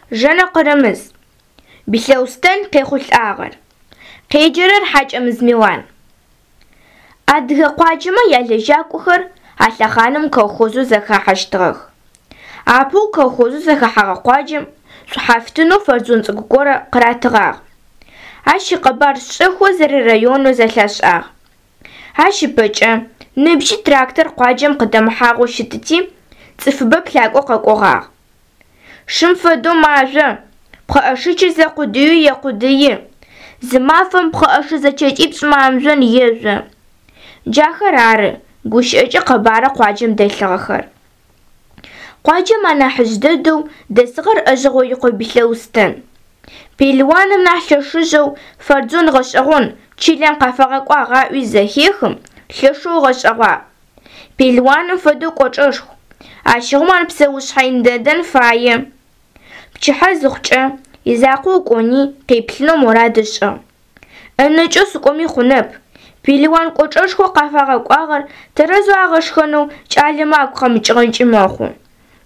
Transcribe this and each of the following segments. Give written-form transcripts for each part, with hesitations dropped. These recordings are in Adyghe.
Жэнэ Къырымыз. Билъэустэн къехъулӏагъэр. Къеджэрэр Хьакӏэмыз Милан. Адыгэ къуаджэмэ ялэжьакӏохэр а лъэхъаным колхозэу зэхахьэщтыгъэх. Апэу колхозэу зэхэхьэгъэ къуаджэм шӏухьафтынэу фэрдзон цӏыкӏу горэ къыратыгъагъ. Ащ икъэбар шӏэхэу зэрэрайонэу зэлъашӏагъ. Ащ ыпэкӏэ ныбжьи трактор къуаджэм къыдэмыхьагъэу щытыти, цӏыфыбэ плъакӏо къэкӏогъагъ. Шым фэдэу мажъо, пхъэӏэшэчыр зэ къудыеу екъудыи, зы мафэм пхъэӏэшэ зэчэкӏипшӏ мамжъон ежъо. Джахэр ары гущыӏэкӏэ къэбарэу къуаджэм дэлъыгъэхэр. Къуаджэм анахьыжъ дэдэу дэсыгъэр ӏэжьэгъоикъо Билъэустэн. Пелыуаным нахь лъэшыжьэу фэрдзон гъэшӏэгъон чылэм къафагъэкӏуагъ аӏуи зэхехым, лъэшэу ыгъэшӏэгъуагъ. Пелыуаным фэдэу кӏочӏэшху, ащыгъум ар псэушъхьэ ин дэдэн фае. Пчыхьэ зыхъукӏэ, изакъоу кӏони къеплъынэу мурад ышӏыгъ. ӏэнэкӏэу сыкӏоми хъунэп, пелыуан кӏочӏэшхоу къафагъэкӏуагъэр тэрэзэу агъэшхэнэу кӏалэмэ агу къэмыкӏыгъэнкӏи мэхъу.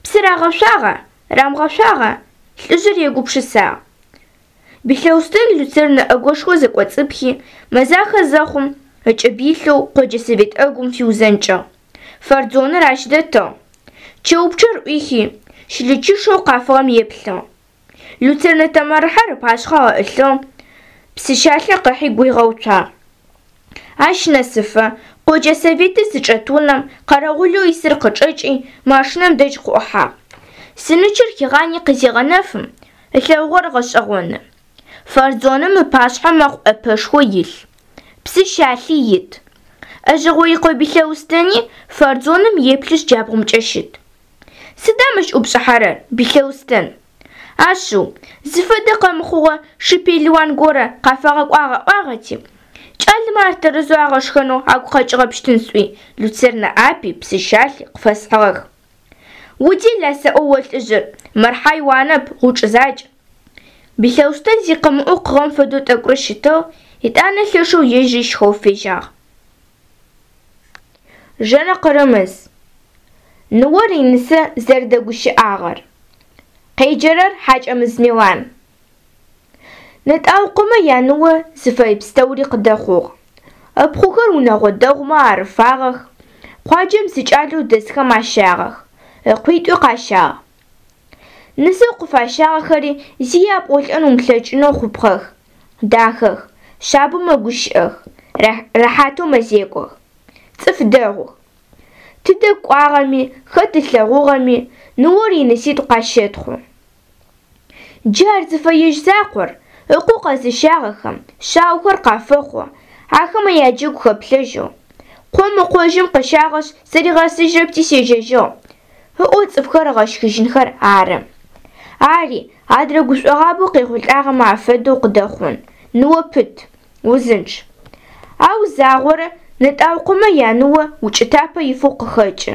Псы рагъэшъуагъа, рамыгъэшъуагъа? Лӏыжъыр егупшысагъ. Билъэустэн люцернэ ӏэгошхо зэкӏоцӏыпхи, мэзахэ зэхъум, ыкӏыб илъэу къоджэ совет ӏэгум фиузэнкӏыгъ. Фэрдзоныр ащ дэтыгъ. Чэупчъэр ӏуихи, щылычышэу къафыгъэм еплъыгъ. Люцернэ тэмэрыхьэр ыпашъхьэ ыӏылъыгъ, псы щалъэ къыхьи гуигъэуцуагъ. Ащ нэсыфэ, къоджэ советыр зычӏэт унэм къэрэгъулэу исыр къычӏэкӏи, машинэм дэжь къыӏухьагъ. Сынычыр хигъани къызегъэнэфым, ылъэгъугъэр гъэшӏэгъоны. Фэрдзоным ыпашъхьэ мэкъу ӏэпэшхо илъ. Псы щалъи ит. ӏэжьэгъоикъо Билъэустэни фэрдзоным еплъышъ джабгъумкӏэ щыт. Сыда мыщ ӏупшӏыхьэрэр, Билъэустэн? Ашъыу, зыфэдэ къэмыхъугъэ шы пелыуан горэ къафагъэкӏуагъ аӏуагъэти, кӏалэмэ ар тэрэзэу агъэшхэнэу агу къэкӏыгъэпщтын сӏуи, люцернэ ӏапи, псы щалъи къыфэсхьыгъэх. Удела сэӏо о лӏыжъыр, мыр хьайуанэп, гъучӏ закӏ. Билъэустэн зи къымыӏоу къыгъэм фэдэу тӏэкӏурэ щытыгъ, етӏанэ лъэшэу ежьри щхэу фежьагъ. Жэнэ Къырымыз. Ныор инысэ зэрэдэгущыӏагъэр. Къеджэрэр Хьакӏэмыз Милан. Нэтӏаукъомэ яныо зыфэе пстэури къыдэхъугъ. Ыпхъухэр унэгъо дэгъумэ арыфагъэх, къуаджэм зы кӏалэу дэсхэм ащагъэх, ыкъуитӏуи къащагъ. Нысэу къыфащагъэхэри зи япӏолӏэн умылъэкӏынэу хъупхъэх, дахэх, шъабэу мэгущыӏэх, рэхьатэу мэзекӏох. Цӏыф дэгъух. Тыдэ кӏуагъэми, хэт ылъэгъугъэми, ныор иныситӏу къащэтхъу. Джы ар зыфэежь закъор, ыкъо къэзыщагъэхэм шъаохэр къафэхъу, ахэмэ яджэгу хэплъэжьэу. Къом ыкъожьым къыщагъэшъ, сыригъэсыжьырэпти сежьэжьыгъ, ыӏоу цӏыфхэр ыгъэщхыжьынхэр ары. Ари, адрэ гушӏогъабэу къехъулӏагъэмэ афэдэу къыдэхъун, ныо пыт, узынчъ. Ау загъорэ Нэтӏаукъомэ яныо укӏытапэ ифэу къыхэкӏы.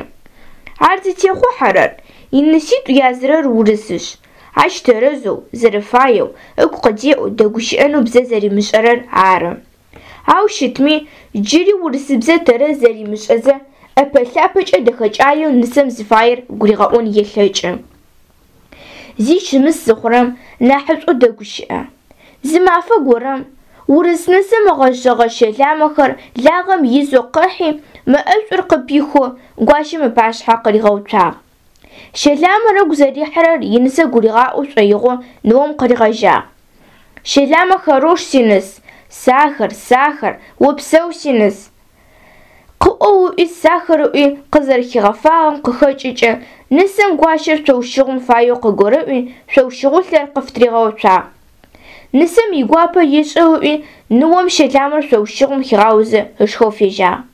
Ар зытехъухьэрэр, иныситӏу язырэр урысышъ, ащ тэрэзэу, зэрэфаеу, ыгу къыдеӏэу дэгущыӏэнэу бзэ зэримышӏэрэр ары. Ау щытми, джыри урысыбзэ тэрэз зэримышӏэзэ, ӏэпэ-лъапэкӏэ дэхэкӏаеу нысэм зыфаер гуригъэӏон елъэкӏы. Зи щымыс зыхъурэм, нахьышӏоу дэгущыӏэ. Зы мафэ горэм, урыс нысэм ыгъэжъэгъэ щэламэхэр лагъэм изэу къыхьи, мэ ӏэшӏур къыпихэу гуащэм ыпашъхьэ къыригъэуцуагъ. Щэламэр ыгу зэрихьырэр инысэ гуригъаӏо шӏоигъоу ныом къыригъэжьагъ. Щэламэ хорош, синыс, сахар, сахар, опсэу, синыс. Къыӏоу ыӏуи сахар ыӏуи къызэрэхигъэфагъэм къыхэкӏыкӏэ нысэм гуащэр шъоущыгъум фаеу къыгурыӏуи шъоущыгъулъэр къыфытыригъэуцуагъ. Нысэм игуапэ ешӏэу ыӏуи ныом щэламэр шъоущыгъум хигъаозэ ышхэу фежьагъ.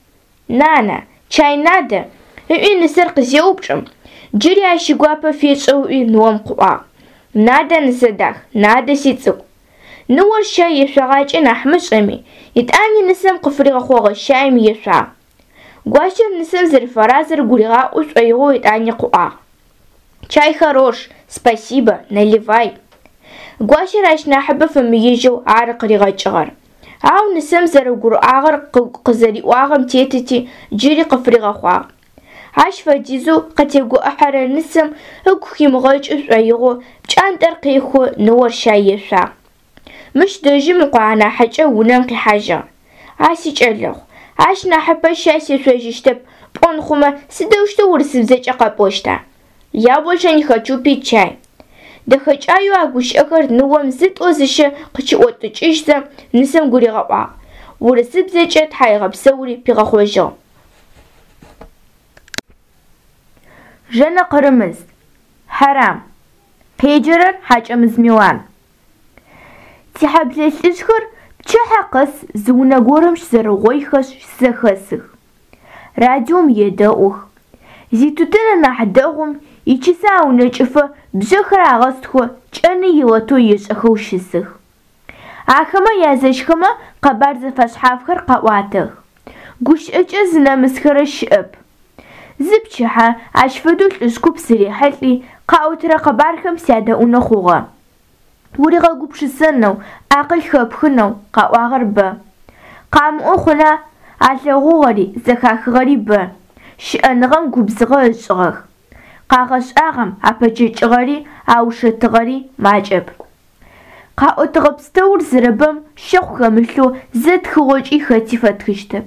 Нана, чай надо? ыӏуи нысэр къызеупчӏым, джыри ащ игуапэ фешӏэу ыӏуи ныом къыӏуагъ. Надо, нысэдах, надо, сицӏыкӏу. Ныор щай ешъогъакӏэ нахь мышӏэми, етӏани нысэм къыфыригъэхъогъэ щаим ешъуагъ. Гуащэр нысэм зэрэфэразэр гуригъаӏо шӏоигъоу етӏани къыӏуагъ. Чай хорош, спасибо, наливай. Гуащэр ащ нахьыбэ фэмыежьэу ары къыригъэкӏыгъэр. Ау нысэм зэрэгурыӏуагъэр къызэриӏуагъэм тетыти, джыри къыфыригъэхъуагъ. Ащ фэдизэу къытегуӏыхьэрэ нысэм ыгу химыгъэкӏы шӏоигъоу пкӏантӏэр къехэу ныор щай ешъуагъ. Мыщ дэжьым ыкъо анахьыкӏэ унэм къихьажьыгъ. А сикӏэлэхъу, ащ нахьыпэ щай сешъожьыщтэп пӏон хъумэ сыдэущтэу урысыбзэкӏэ къэпӏощта? Я больше не хочу пить чай. Дэхэкӏаеу а гущыӏэхэр ныом зытӏо-зыщэ къыкӏиӏотыкӏыжьзэ нысэм гуригъэӏуагъ, урысыбзэкӏэ тхьаегъэпсэури пигъэхъожьыгъ. Жэнэ Къырымыз. Хьэрам. Къеджэрэр Хьакӏэмыз Милан. Тихьэблэ лӏыжъхэр пчыхьэ къэс зы унэ горэм щызэрэугъоихэшъ щызэхэсых. Радиом едэӏух. Зитутын анахь дэгъум ичысэ аунэкӏыфэ бжъэхэр агъэстхэу кӏэны илото ешӏэхэу щысых. Ахэмэ язэщхэмэ къэбар зэфэшъхьафхэр къаӏуатэх. Гущыӏэкӏэ зынэмысхэрэ щыӏэп. Зы пчыхьэ ащ фэдэу лӏыжъ куп сырихьылӏи, къаӏотэрэ къэбархэм сядэӏунэу хъугъэ. Уригъэгупшысэнэу, акъыл хэпхынэу къаӏуагъэр бэ. Къамыӏо хъуна, алъэгъугъэри, зэхахыгъэри бэ, щыӏэныгъэм губзыгъэ ышӏыгъэх. Къагъэшӏагъэм апэкӏэкӏыгъэри, аушэтыгъэри макӏэп. Къаӏотэгъэ пстэур зэрэбэм щэхъу хэмылъэу зэ тхыгъокӏи хэти фэтхыщтэп.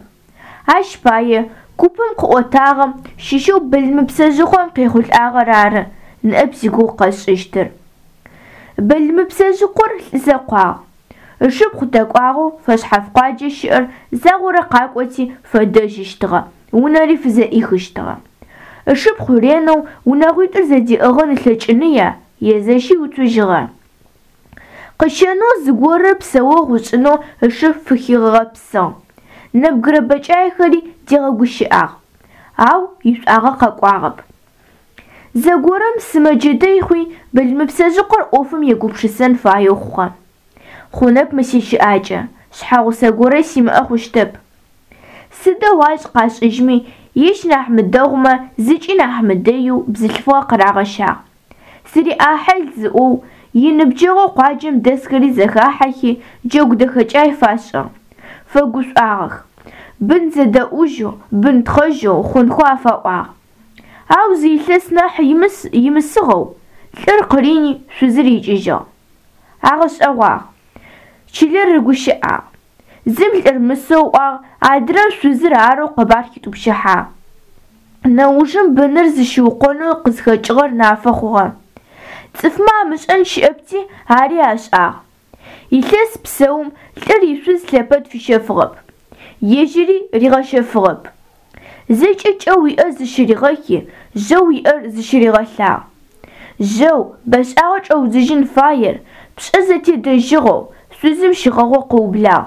Ащ пае купым къыӏотагъэм щыщэу Былымыпсэжъыкъом къехъулӏагъэр ары ныӏэп зигугъу къэсшӏыщтыр. Былымыпсэжъыкъор лӏы зэкъуагъ. Ышыпхъу дэкӏуагъэу фэшъхьаф къуаджэ щыӏэр загъорэ къакӏоти фэдэжьыщтыгъэ, унэри фызэӏихыщтыгъэ. Ышыпхъу ренэу унэгъуитӏур зэдиӏыгъын ылъэкӏыныя, езэщи уцужьыгъэ. Къыщэнэу зыгорэ псэогъу ышӏынэу ышы фыхигъэпсыгъ. Нэбгырэ бэкӏаехэри дигъэгущыӏагъ, ау ишӏуагъэ къэкӏуагъэп. Зэгорэм сымэджэ дэй хъуи, Былымыпсэжъыкъор ӏофым егупшысэн фаеу хъугъэ. Хъунэп мы сищыӏакӏэ, шъхьэгъусэ горэ симыӏэ хъущтэп. Сыдэу ашӏ къашӏыжьми, ежь нахь мыдэгъумэ, зыкӏи нахь мыдэеу бзылъфыгъэ къырагъэщагъ. Сыриӏахьыл зыӏоу, иныбджэгъоу къуаджэм дэсхэри зэхахьэхи, джэгу дэхэкӏай фашӏыгъ. Фэгушӏуагъэх. Бын зэдэӏужьэу, бын тхъэжьэу хъунхэу афаӏуагъ. Ау зы илъэс нахь имысыгъэу, лӏыр къырини, шъузыр икӏыжьыгъ. Агъэшӏэгъуагъ. Чылэр рыгущыӏагъ. Зым лӏыр мысэу ыӏуагъ, адрэм шъузыр арэу къэбар хитӏупщыхьагъ. Нэужым быныр зыщыукъонэу къызхэкӏыгъэр нафэ хъугъэ. Цӏыфмэ амышӏэн щыӏэпти, ари ашӏагъ. Илъэс псэум лӏыр ишъуз лъэпэд фищэфыгъэп, ежьыри ригъэщэфыгъэп. Зэкӏэ кӏэу иӏэр зыщыригъэхи, жъэу иӏэр зыщыригъэлъагъ. Жьэу, бэшӏагъэ чӏэудзыжьын фаер, пшӏэ зэтедэжьыгъэу, шъузым щигъэгъоу къыублагъ.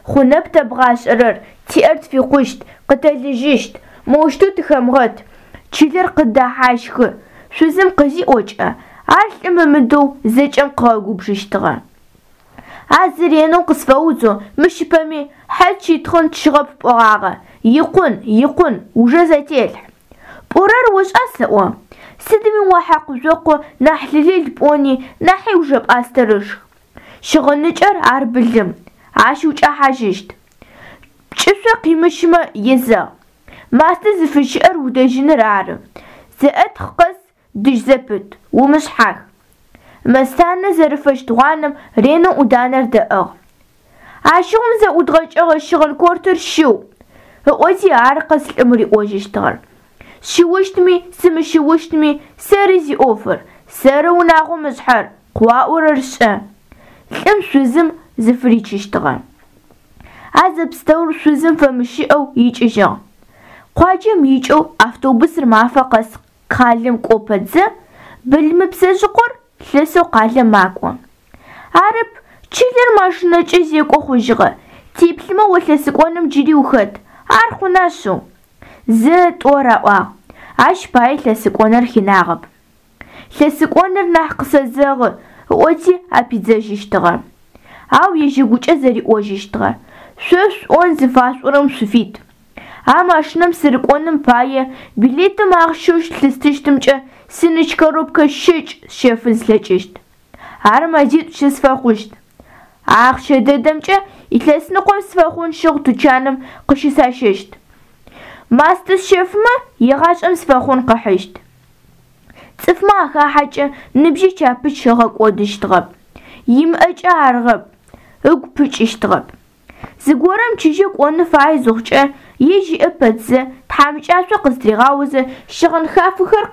Хъунэп тэбгъашӏэрэр, тиӏэр тфикъущт, къытэлыжьыщт, моущтэу тыхэмыгъэт, чылэр къыддэхьащхы, шъузым къызиӏокӏэ, ар лӏым ымыдэу зэкӏэм къыгъэгубжыщтыгъэ. А зыр ренэу къысфэудзэу, мыщыпэми, хьэ тщитхъын тщыгъэп пӏогъагъэ, икъун, икъун, ужэ зэтелъхь. Пӏорэр ошӏа сэӏо? Сыдми о хьакъу-жъокъу нахь лылыл пӏони, нахьи ужэ пӏастэр ышх. Щыгъыныкӏэр ар былым, ащ укӏэхьажьыщт. Пкӏышъо къимыщымэ езэгъ. Мастэ зыфыщыӏэр удэжьыныр ары. Зэӏэтхъ къэс дыжь зэпыт, умышъхьах. Мэстанэ зэрыфэщт гъуанэм ренэу ӏуданэр дэӏыгъ. Ащыгъум зэӏудгъэкӏэгъэ щыгъын кортыр щыу, ыӏоти ары къэс лӏым риӏожьыщтыгъэр. Сщыущтми, сымыщыущтми, сэры зиӏофыр, сэры унагъом ышъхьэр, къыуаӏорэр шӏэ. Лӏым шъузым зыфыричыщтыгъэ. А зэпстэур шъузым фэмыщыӏэу икӏыжьыгъ. Къуаджэм икӏэу автобусыр мафэ къэс къалэм кӏо пэтзэ, Былымыпсэжъыкъор лъэсэу къалэм макӏо. Арэп, чылэр машинэкӏэ зекӏо хъужьыгъэ, теплъымэ о лъэсыкӏоным джыри ухэт, ар хъуна шъыу? Зэ, тӏо раӏуагъ, ащ пае лъэсыкӏоныр хинагъэп. Лъэсыкӏоныр нахь къысэзэгъы, ыӏоти апидзэжьыщтыгъэ. Ау ежь ыгукӏэ зэриӏожьыщтыгъэ, Шъо шъуӏон зыфашъуӏорэм шъуфит. А машинэм сырыкӏоным пае билетым ахъщэу лъыстыщтымкӏэ сыныч коробкэ щэкӏ сщэфын слъэкӏыщт. Ар мэзитӏу щысфэхъущт. А ахъщэ дэдэмкӏэ илъэсныкъом сфэхъун щыгъу тучаным къыщысащэщт. Мастэ сщэфымэ, егъашӏэм сфэхъун къыхьыщт. Цӏыфмэ ахахьэкӏэ ныбжьи чапыч ыгъэкӏодыщтыгъэп. Имыӏэкӏэ арыгъэп, ыгу пыкӏыщтыгъэп. Зыгорэм чыжьэу кӏонэу фае зыхъукӏэ, ежь иӏэ пэтзэ, тхьамыкӏашъо къызтыригъаозэ, щыгъын хафэхэр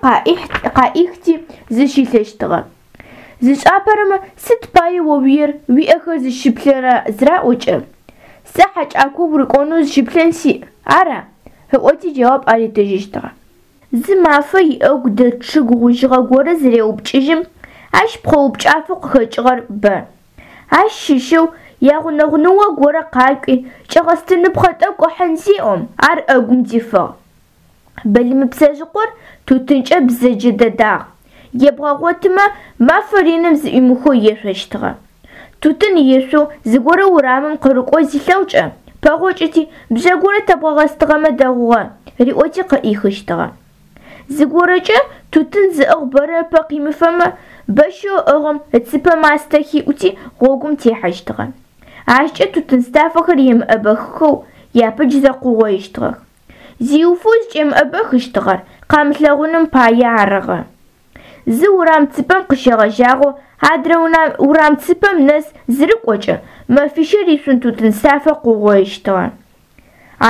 къаӏихти зыщилъэщтыгъэ. Зышӏапэрэмэ сыд пае о уиер, уиӏэхэр зыщыплъэра зыраӏокӏэ, сэ хьэкӏако урыкӏонэу зыщыплъэн сиӏ, ара? ыӏоти джэуап аритыжьыщтыгъэ. Зы мафэ иӏэгу дэт чъыг гъужьыгъэ горэ зыреупкӏыжьым, ащ пхъэупкӏафэу къыхэкӏыгъэр бэ. Ащ щыщэу ягъунэгъу ныо горэ къакӏуи, кӏэгъэстыныпхъэ тӏэкӏу ыхьын зеӏом, ар ӏэгум дифыгъ. Былымыпсэжъыкъор тутынкӏэ бзэджэ дэдагъ, ебгъэгъотымэ, мэфэ реным зыӏуимыхэу ешъощтыгъэ. Тутын ешъоу зыгорэ урамым къырыкӏоу зилъэгъукӏэ, пэгъокӏыти, бжъэ горэ тэбгъэгъэстыгъэмэ дэгъугъэ, риӏоти къыӏихыщтыгъэ. Зыгорэкӏэ тутын зыӏыгъ бэрэ ыпэ къимыфэмэ, бэщэу ыӏыгъым ыцыпэ мастэ хиӏути гъогум техьэщтыгъэ. Ащкӏэ тутын стафэхэр емыӏэбэхыхэу япыдж зэкъугъоищтыгъэх. Зиуфэу зыкӏемыӏэбэхыщтыгъэр къамылъэгъуным пае арыгъэ. Зы урам цыпэм къыщегъэжьагъэу адрэ урам цыпэм нэс зырыкӏокӏэ, мэфищэ ришъун тутын стафэ къыугъоищтыгъэ.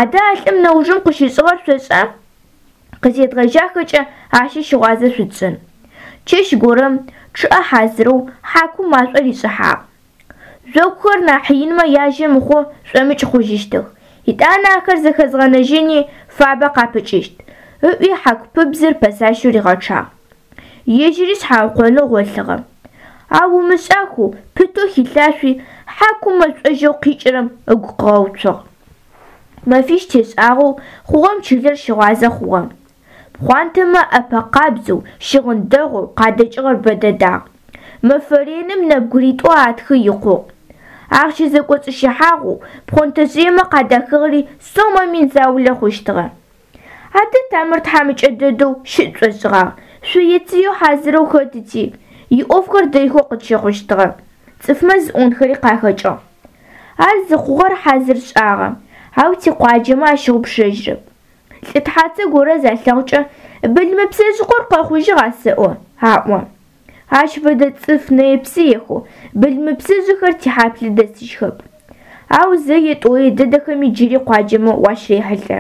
Адэ а лӏым нэужым къыщышӏыгъэр шъошӏа? Къызедгъэжьахэкӏэ ащи щыгъуазэ шъутшӏын. Чэщ горэм, чъыӏэ хьазырэу, хьакум машӏо ришӏыхьагъ. Жъокухэр нахь инмэ яжьэ мыхъоу шӏомыкӏ хъужьыщтых. Етӏанэ ахэр зэхэзгъэнэжьыни фабэ къапыкӏыщт, ыӏуи хьаку пыбзыр пэсащэу ригъэчъагъ. Ежьыри шъхьаукъонэу гъолъыгъэ. Ау ымышӏахэу пытэу хилъашъуи, хьакум мэшӏожьэу къикӏырэм ыгу къыгъэуцугъ. Мэфищ тешӏагъэу хъугъэм чылэр щыгъуазэ хъугъэ. Пхъуантэмэ ӏэпэ къабзэу, щыгъын дэгъоу къадэкӏыгъэр бэ дэдагъ. Мэфэ реным нэбгыритӏу атхы икъугъ. Ахъщэ зэкӏоцӏыщыхьагъэу пхъонтэжъыемэ къадахыгъэри сомэ мин заулэ хъущтыгъэ. Адэ Тамыр тхьамыкӏэ дэдэу щыт тшӏошӏыгъагъ, шъуе-цыеу хьазырэу хэтыти, иӏофхэр дэйхэу къытщыхъущтыгъэ. Цӏыфмэ зыӏонхэри къахэкӏыгъ. Ар зыхъугъэр хьазыр шӏагъэ, ау тикъуаджэмэ ащыгъупшэжьрэп. Лӏы тхьацэ горэ залъэгъукӏэ, Былымыпсэжъыкъор къэхъужьыгъа сэӏо? аӏо. Ащ фэдэ цӏыф нэе-псыехэу былымыпсэжъыхэр тихьаблэ дэсыжьхэп. Ау зэе-тӏое дэдэхэми джыри къуаджэмэ уащырехьылӏэ.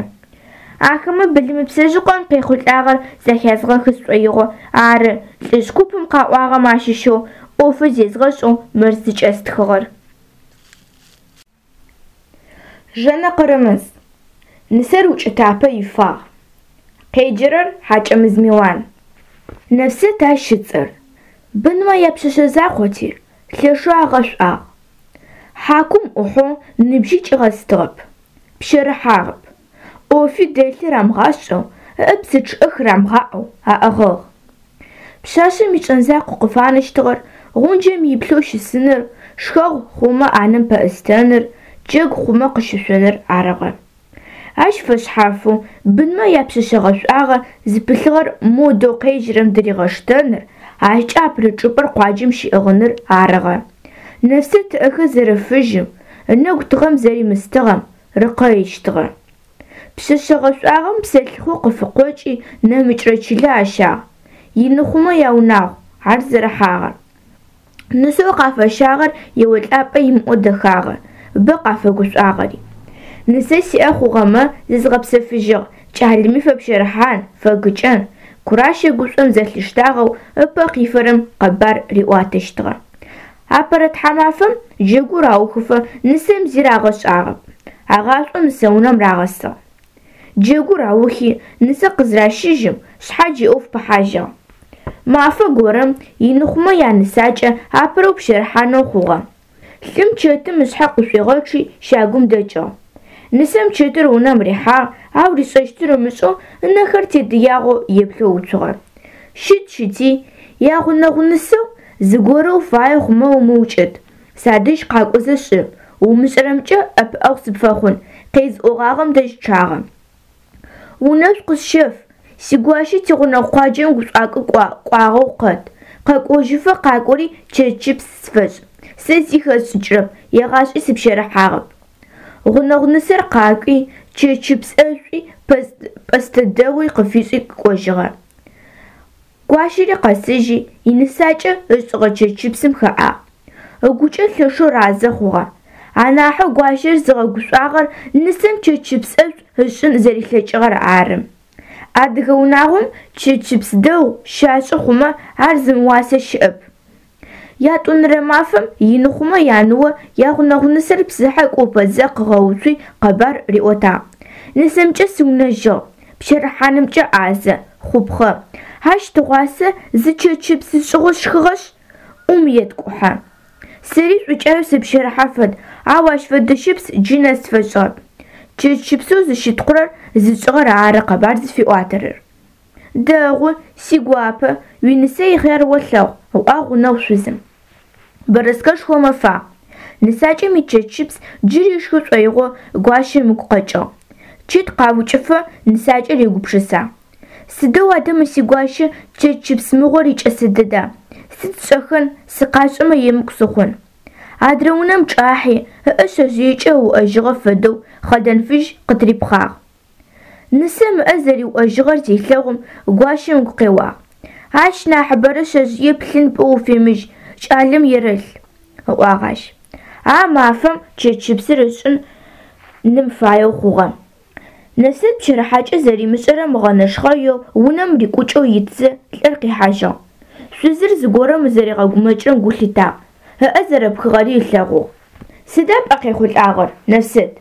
Ахэмэ Былымыпсэжъыкъом къехъулӏагъэр зэхязгъэхы сшӏоигъоу ары лӏыжъ купым къаӏуагъэм ащыщэу ӏофы зезгъэшӏэу мыр зыкӏэстхыгъэр. Жэнэ Къырымыз. Нысэр укӏытапэ ифагъ. Къеджэрэр Хьакӏэмыз Милан. Нэфсэт ащ ыцӏэр. Бынмэ япшъэшъэ закъоти, лъэшэу агъэшӏуагъ. Хьакум ӏухьэу ныбжьи кӏигъэстыгъэп, пщэрыхьагъэп. ӏофи дэлъи рамыгъашӏэу, ыӏэ псы чъыӏэ хырамыгъаӏэу аӏыгъыгъ. Пшъашъэм ишӏэн закъу къыфанэщтыгъэр гъунджэм иплъэу щысыныр, шхэгъу хъумэ ӏанэм пэӏустэныр, джэгу хъумэ къыщышъоныр арыгъэ. Ащ фэшъхьафэу бынмэ япшъэшъэ гъэшӏуагъэ зыпылъыгъэр модэу къежьэрэм дыригъэштэныр, ащкӏэ апэрэ чӏыпӏэр къуаджэм щиӏыгъыныр арыгъэ. Нэфсэт ыӏэхэр зэрэфыжьым, ынэгу тыгъэм зэримыстыгъэм рыкъэищтыгъэ. Пшъэшъэ гъэшӏуагъэм псэлъыхъо къыфыкъокӏи нэмыкӏрэ чылэ ащагъ. Иныхъумэ яунагъу ар зэрыхьагъэр. Нысэу къафэщагъэр еолӏапӏэ имыӏэу дэхагъэ, бэ къафэгушӏуагъэри. Нысэ сиӏэ хъугъэмэ, зызгъэпсэфыжьыгъ, кӏалэми фэпщэрыхьан, фэгыкӏэн. Куращэ гушӏом зэлъиштагъэу ыпэ къифэрэм къэбар риӏуатэщтыгъэ. Апэрэ тхьамафэм джэгур аухыфэ нысэм зи рагъэшӏагъэп, агъашӏоу нысэунэм рагъэсыгъ. Джэгур аухи, нысэ къызращыжьым, шъхьадж иӏоф пыхьажьыгъ. Мафэ горэм иныхъумэ янысакӏэ апэрэу пщэрыхьанэу хъугъэ. Лӏым чэтым ышъхьэ къышӏуигъэчъи щагум дэкӏыгъ. Нысэм чэтыр унэм рихьагъ, ау ришӏэщтыр ымышӏэу ынэхэр тедыягъэу еплъэу уцугъэ. Щыт-щыти, ягъунэгъу нысэу, зыгорэу фае хъумэ умыукӏыт, садэжь къакӏозэ шӏы, умышӏэрэмкӏэ ӏэпыӏэгъу сыпфэхъун, къезыӏогъагъэм дэжь чъагъэ. Унэшӏу къысщэф, сигуащэ тигъунэгъу къуаджэм гушӏуакӏо кӏуагъэу къэт, къэкӏожьыфэ къакӏори чэтщыпс сфэшӏ, сэ зи хэсшӏыкӏырэп, егъашӏи сыпщэрыхьагъэп. Гъунэгъу нысэр къакӏуи, Чэчыпс ӏэшӏуи, пӏэстэ дэгъуи къыфишӏи кӏожьыгъэ. Гуащэри къэсыжьи, инысакӏэ ышӏыгъэ чэчыпсым хэӏагъ. Ыгукӏэ лъэшэу разэ хъугъэ. Анахьэу гуащэр зыгъэгушӏуагъэр нысэм чэчыпс ӏэшӏу ышӏын зэрилъэкӏыгъэр ары. Адыгэ унагъом чэчыпс дэгъу щашӏы хъумэ ар зымыуасэ щыӏэп. Ятӏонэрэ мафэм ины хъумэ яныо ягъунэгъу нысэр псыхьэ кӏо пэтзэ къыгъэуцуи къэбар риӏотагъ. Нысэмкӏэ сыунэжьыгъ, пщэрыхьанымкӏэ ӏазэ, хъупхъэ. Ащ тыгъуасэ зы чэчыпс ышӏыгъэу сшхыгъэшъ, ӏум еткӏухьэ. Сэри шӏукӏаеу сыпщэрыхьэ фэд, ау ащ фэдэ щыпс джы нэс сфэшӏыгъэп. Чэчыпсэу зыщытхъурэр зышӏыгъэр ары къэбар зыфиӏуатэрэр. Дэгъу, сигуапэ, уинысэ ихъяр олъэгъу, ыӏуагъ гъунэгъу шъузым. Бэрэскэшхо мэфагъ. Нысакӏэм ичэчыпс джыри ышхы шӏоигъоу гуащэм ыгу къэкӏыгъ. Чэт къаукӏыфэ нысакӏэр егупшысагъ. Сыдэу адэ мы сигуащэ чэчыпс мыгъор икӏэсэ дэда, сыд сшӏэхэн, сыкъашӏэмэ емыкӏу сыхъун. Адрэ унэм чӏахьи, ыӏэ шъэжъыекӏэ ыуӏэжьыгъэ фэдэу хъэдэн фыжь къытырипхъагъ. Нысэм ыӏэ зэриуӏэжьыгъэр зелъэгъум, гуащэм ыгу къеуагъ. Ащ нахьыбэрэ шъэжъые плъын пӏоу уфемыжь, кӏалэм ерэлъ, ыӏуагъ ащ. А мафэм чэчыпсыр ышӏын ным фаеу хъугъэ. Нэфсэт пщэрыхьакӏэ зэримышӏэрэм ыгъэнэшхъэеу унэм рикӏукӏэу итзэ, лӏыр къихьажьыгъ. Шъузыр зыгорэм зэригъэгумэкӏырэм гу лъитагъ, ыӏэ зэрэпхыгъэри ылъэгъугъ. Сыда пӏэ къехъулӏагъэр, Нэфсэт?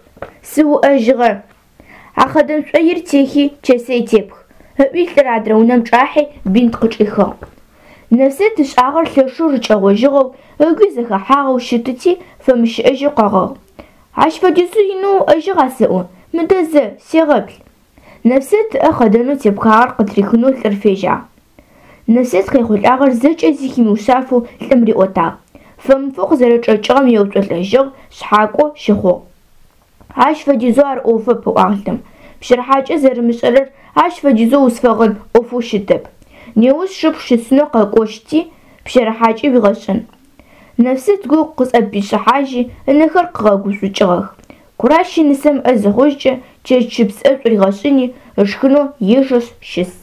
Сыуӏэжьыгъэ. А хъэдэн шӏоир техи, чэсэй тепх, ыӏуи лӏыр адрэ унэм чӏахьи бинт къычӏихыгъ. Нэфсэт ышӏагъэр лъэшэу рыкӏэгъожьыгъэу, ыгуи зэхэхьагъэу щытыти, фэмыщыӏэжьэу къэгъыгъ. Ащ фэдизэу инэу уӏэжьыгъа сэӏо, мыдэ зэ, сегъэплъ. Нэфсэт ыӏэ хъэдэнэу тепхагъэр къытрихынэу лӏыр фежьагъ. Нэфсэт къехъулӏагъэр зэкӏэ зи химыушъафэу лӏым риӏотагъ. Фэмыфэу къызэрэчӏэкӏыгъэм еуцолӏэжьыгъ, шъхьакӏо щыхъугъ. Ащ фэдизэу ар ӏофэп, ыӏуагъ лӏым. Пщэрыхьакӏэ зэрымышӏэрэр ащ фэдизэу узфэгъын ӏофэу щытэп. Неущ сшыпхъу щысынэу къэкӏощти, пщэрыхьакӏи уигъэшӏын. Нэфсэт гу къызӏэпишӏыхьажьи, ынэхэр къыгъэгушӏукӏыгъэх. Куращи нысэм ӏэ зыхъужькӏэ, чэчыпс ӏэшӏу ригъэшӏыни, ышхынэу ежэшъ щыс.